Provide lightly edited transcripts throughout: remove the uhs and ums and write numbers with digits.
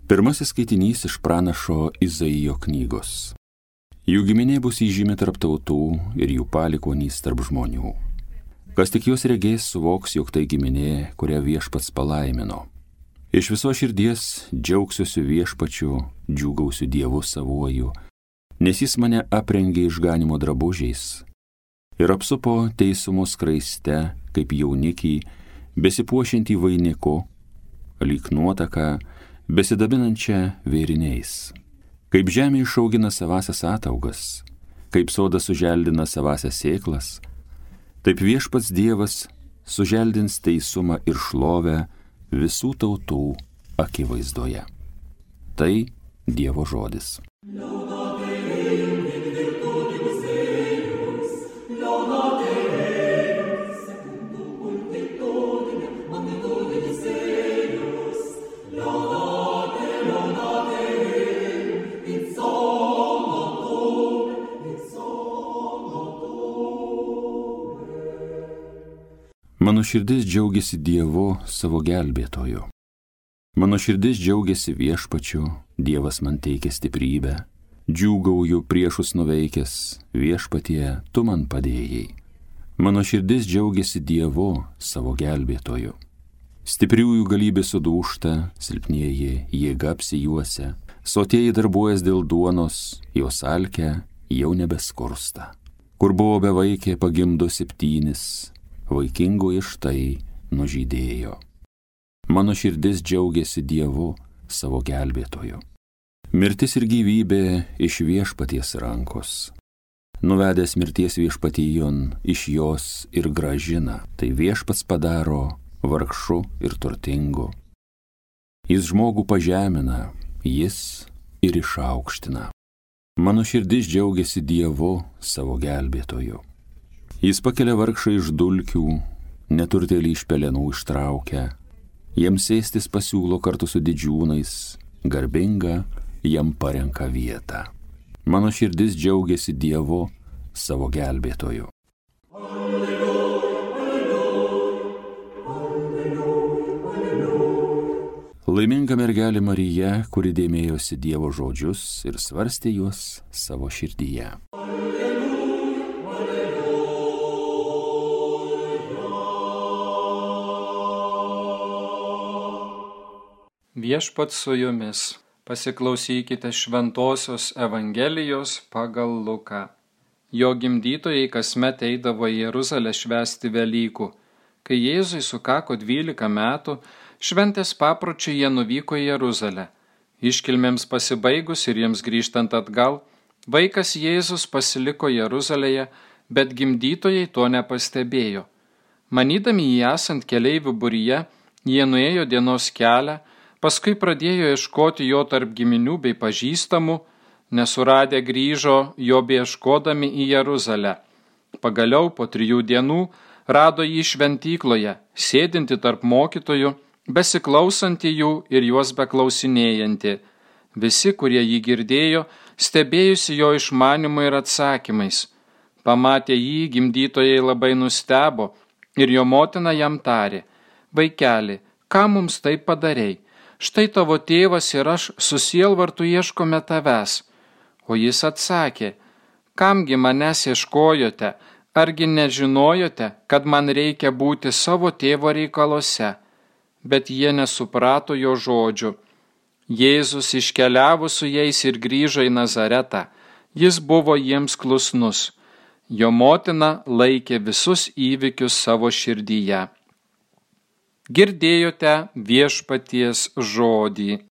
Pirmasis skaitinys iš pranašo Izaijo knygos. Jų giminė bus įžymi tarp tautų ir jų palikuonys tarp žmonių. Kas tik juos regės, suvoks, jog tai giminė, kurią Viešpats palaimino. Iš viso širdies džiaugsiuosi Viešpačiu, džiūgausiu Dievu savuoju, nes jis mane aprengė išganimo drabužiais ir apsupo teisumo skraiste, kaip jaunikį, besipuošiantį vainiku, lyg nuotaką, besidabinančią vėriniais. Kaip žemė išaugina savasias ataugas, kaip sodas suželdina savasias sėklas, taip Viešpats Dievas suželdins teisumą ir šlovę visų tautų akivaizdoje. Tai Dievo žodis. Mano širdis džiaugiasi Dievu savo gelbėtoju. Mano širdis džiaugiasi Viešpačiu, Dievas man teikia stiprybę. Džiūgauju priešus nuveikęs, Viešpatie, tu man padėjai. Mano širdis džiaugiasi Dievu savo gelbėtoju. Stipriųjų galybė sudūžta, silpnieji jėga apsijuosia, sotieji darbuojas dėl duonos, jos alkę jau nebeskursta. Kur buvo bevaikė, pagimdo 7, vaikingoji štai nužydėjo. Mano širdis džiaugiasi Dievu savo gelbėtoju. Mirtis ir gyvybė iš Viešpaties rankos. Nuvedęs mirties viešpatijon, iš jos ir grąžina, tai Viešpats padaro vargšu ir turtingu. Jis žmogų pažemina, jis ir išaukština. Mano širdis džiaugiasi Dievu savo gelbėtoju. Jis pakelia vargšą iš dulkių, neturtėlį iš pelenų ištraukia, jiems sėstis pasiūlo kartu su didžiūnais, garbinga jam parenka vietą. Mano širdis džiaugiasi Dievu savo gelbėtoju. Laiminga mergelė Marija, kuri dėmėjosi Dievo žodžius ir svarstė juos savo širdyje. Viešpats su jumis. Pasiklausykite Šventosios Evangelijos pagal Luką. Jo gimdytojai kasmet eidavo į Jeruzalę švęsti Velykų. Kai Jėzui sukako 12 metų, šventės papročiu jie nuvyko į Jeruzalę. Iškilmėms pasibaigus ir jiems grįžtant atgal, vaikas Jėzus pasiliko Jeruzalėje, bet gimdytojai to nepastebėjo. Manydami jį esant keleivių būryje, jie nuėjo dienos kelią, paskui pradėjo ieškoti jo tarp giminių bei pažįstamų, nesuradę grįžo jo beieškodami į Jeruzalę. Pagaliau po 3 dienų rado jį šventykloje, sėdinti tarp mokytojų, besiklausantį jų ir juos beklausinėjantį. Visi, kurie jį girdėjo, stebėjusi jo išmanymu ir atsakymais. Pamatę jį, gimdytojai labai nustebo ir jo motina jam tarė: vaikeli, ką mums taip padarei? Štai tavo tėvas ir aš su sielvartu ieškome tavęs. O jis atsakė: kamgi manęs ieškojote, argi nežinojote, kad man reikia būti savo tėvo reikaluose? Bet jie nesuprato jo žodžių. Jėzus iškeliavo su jais ir grįžo į Nazaretą. Jis buvo jiems klusnus. Jo motina laikė visus įvykius savo širdyje. Girdėjote Viešpaties žodį.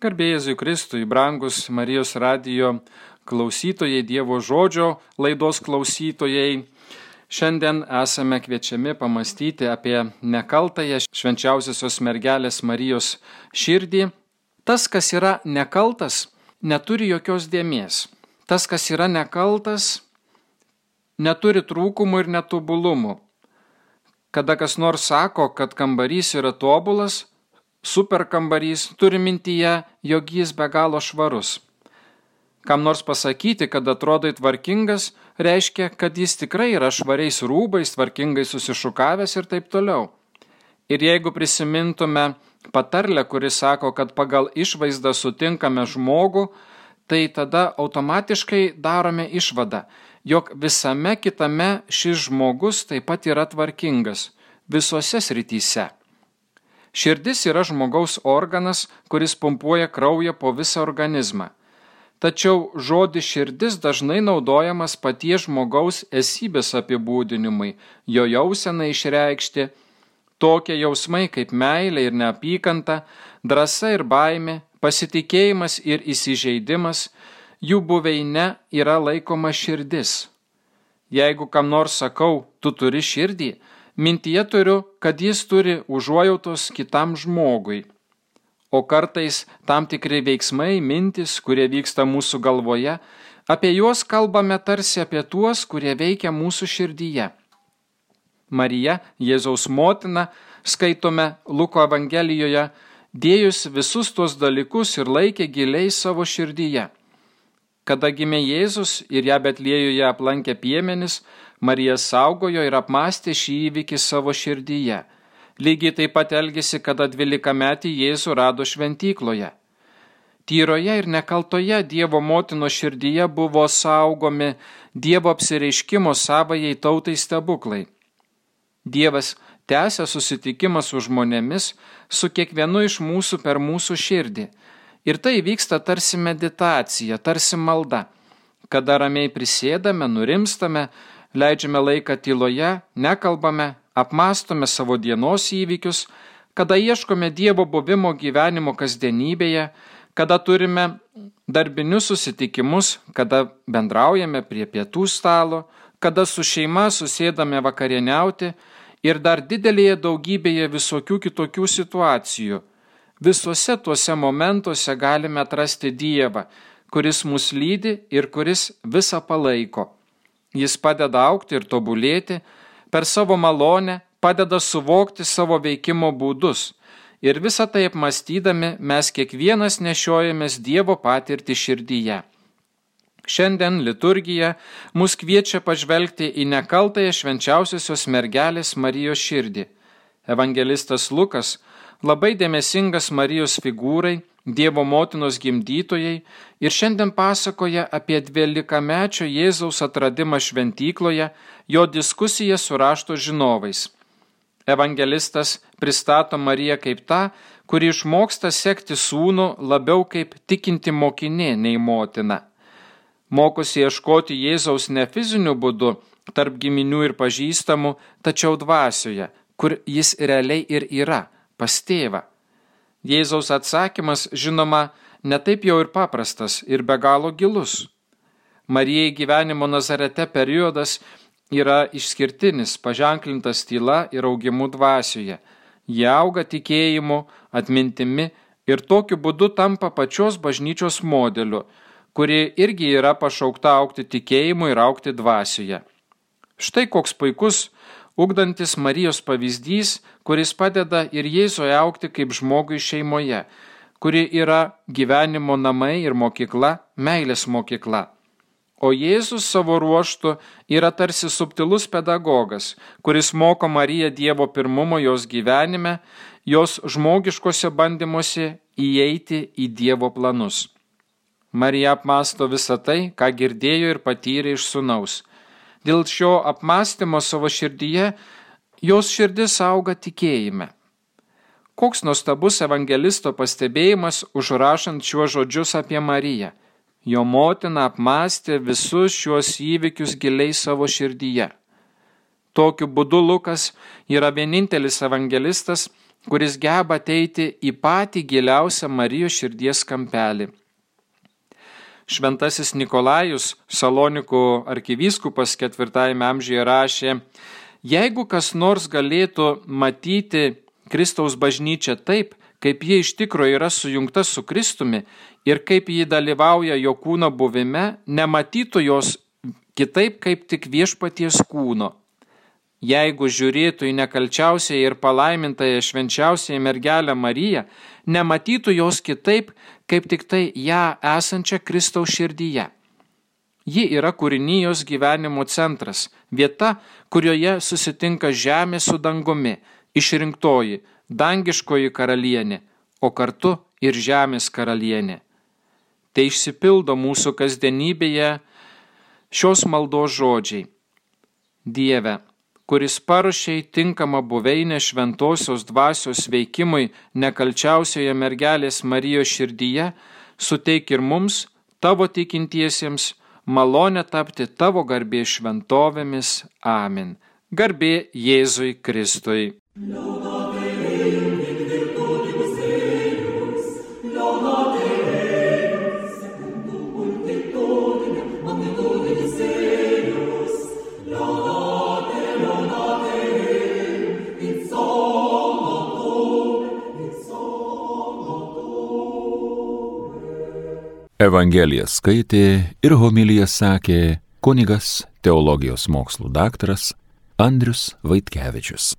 Garbė Jėzui Kristui, brangus Marijos radijo klausytojai, Dievo žodžio laidos klausytojai. Šiandien esame kviečiami pamastyti apie nekaltąją švenčiausiosios mergelės Marijos širdį. Tas, kas yra nekaltas, neturi jokios dėmės. Tas, kas yra nekaltas, neturi trūkumų ir netobulumų. Kada kas nors sako, kad kambarys yra tobulas, super kambarys, turi mintyje, jog jis be galo švarus. Kam nors pasakyti, kad atrodai tvarkingas, reiškia, kad jis tikrai yra švariais rūbais, tvarkingai susišukavęs ir taip toliau. Ir jeigu prisimintume patarlę, kuri sako, kad pagal išvaizdą sutinkame žmogų, tai tada automatiškai darome išvadą, jog visame kitame šis žmogus taip pat yra tvarkingas, visose srityse. Širdis yra žmogaus organas, kuris pumpuoja kraują po visą organizmą. Tačiau žodis širdis dažnai naudojamas paties žmogaus esybės apibūdinimui, jo jausenai išreikšti, tokie jausmai kaip meilė ir neapykanta, drąsa ir baimė, pasitikėjimas ir įsižeidimas, jų buveine yra laikoma širdis. Jeigu kam nors sakau, tu turi širdį, mintyje turiu, kad jis turi užuojautos kitam žmogui. O kartais tam tikri veiksmai, mintis, kurie vyksta mūsų galvoje, apie juos kalbame tarsi apie tuos, kurie veikia mūsų širdyje. Marija, Jėzaus motina, skaitome Luko Evangelijoje, dėjusi visus tuos dalykus ir laikė giliai savo širdyje. Kada gimė Jėzus ir ją Betliejuje aplankė piemenis, Marija saugojo ir apmąstė šį įvykį savo širdyje. Lygiai taip pat elgėsi, kada 12-metį Jėzų rado šventykloje. Tyroje ir nekaltoje Dievo motinos širdyje buvo saugomi Dievo apsireiškimo savajai tautai stebuklai. Dievas tęsia susitikimą su žmonėmis, su kiekvienu iš mūsų per mūsų širdį. Ir tai vyksta tarsi meditacija, tarsi malda. Kada ramiai prisėdame, nurimstame, leidžiame laiką tyloje, nekalbame, apmąstome savo dienos įvykius, kada ieškome Dievo buvimo gyvenimo kasdienybėje, kada turime darbinius susitikimus, kada bendraujame prie pietų stalo, kada su šeima susėdame vakarieniauti ir dar didelėje daugybėje visokių kitokių situacijų. Visuose tuose momentuose galime atrasti Dievą, kuris mus lydi ir kuris visą palaiko. Jis padeda augti ir tobulėti, per savo malonę padeda suvokti savo veikimo būdus ir visą tai apmąstydami mes kiekvienas nešiojamės Dievo patirtį širdyje. Šiandien liturgija mus kviečia pažvelgti į nekaltąją švenčiausiosios mergelės Marijos širdį. Evangelistas Lukas labai dėmesingas Marijos figūrai, Dievo motinos gimdytojai ir šiandien pasakoja apie 12-mečio Jėzaus atradimą šventykloje, jo diskusiją su rašto žinovais. Evangelistas pristato Mariją kaip tą, kuri išmoksta sekti sūnų labiau kaip tikinti mokinė nei motina. Mokosi ieškoti Jėzaus ne fiziniu būdu, tarp giminių ir pažįstamų, tačiau dvasioje, kur jis realiai ir yra, pas tėvą. Jėzaus atsakymas, žinoma, netaip jau ir paprastas ir be galo gilus. Marijai gyvenimo Nazarete periodas yra išskirtinis, paženklintas tyla ir augimu dvasioje. Jie auga tikėjimu, atmintimi ir tokiu būdu tampa pačios bažnyčios modeliu, kuri irgi yra pašaukta augti tikėjimu ir augti dvasioje. Štai koks puikus ugdantis Marijos pavyzdys, kuris padeda ir Jėzui augti kaip žmogui šeimoje, kuri yra gyvenimo namai ir mokykla, meilės mokykla. O Jėzus savo ruožtu yra tarsi subtilus pedagogas, kuris moko Mariją Dievo pirmumo jos gyvenime, jos žmogiškose bandymuose įeiti į Dievo planus. Marija apmąsto visą tai, ką girdėjo ir patyrė iš sūnaus. Dėl šio apmąstymo savo širdyje, jos širdis auga tikėjime. Koks nuostabus evangelisto pastebėjimas užrašant šiuos žodžius apie Mariją. Jo motina apmąstė visus šiuos įvykius giliai savo širdyje. Tokiu būdu Lukas yra vienintelis evangelistas, kuris geba ateiti į patį giliausią Marijos širdies kampelį. Šventasis Nikolajus, Salonikų arkivyskupas 4 amžiuje rašė, jeigu kas nors galėtų matyti Kristaus bažnyčią taip, kaip ji iš tikrųjų yra sujungta su Kristumi ir kaip ji dalyvauja jo kūno buvime, nematytų jos kitaip kaip tik viešpaties kūno. jeigu žiūrėtų į nekalčiausią ir palaimintąją švenčiausiąją mergelę Mariją, nematytų jos kitaip, kaip tik tai ją esančią Kristaus širdyje. Ji yra kūrinijos gyvenimo centras, vieta, kurioje susitinka žemė su dangumi, išrinktoji, dangiškoji karalienė, o kartu ir žemės karalienė. Tai išsipildo mūsų kasdienybėje šios maldos žodžiai. Dieve, kuris paruošei tinkamą buveinę šventosios dvasios veikimui nekalčiausioje mergelės Marijos širdyje, suteik ir mums, tavo tikintiesiems, malonę tapti tavo garbės šventovėmis. Amen. Garbė Jėzui Kristui. Evangeliją skaitė ir homiliją sakė kunigas teologijos mokslų daktaras Andrius Vaitkevičius.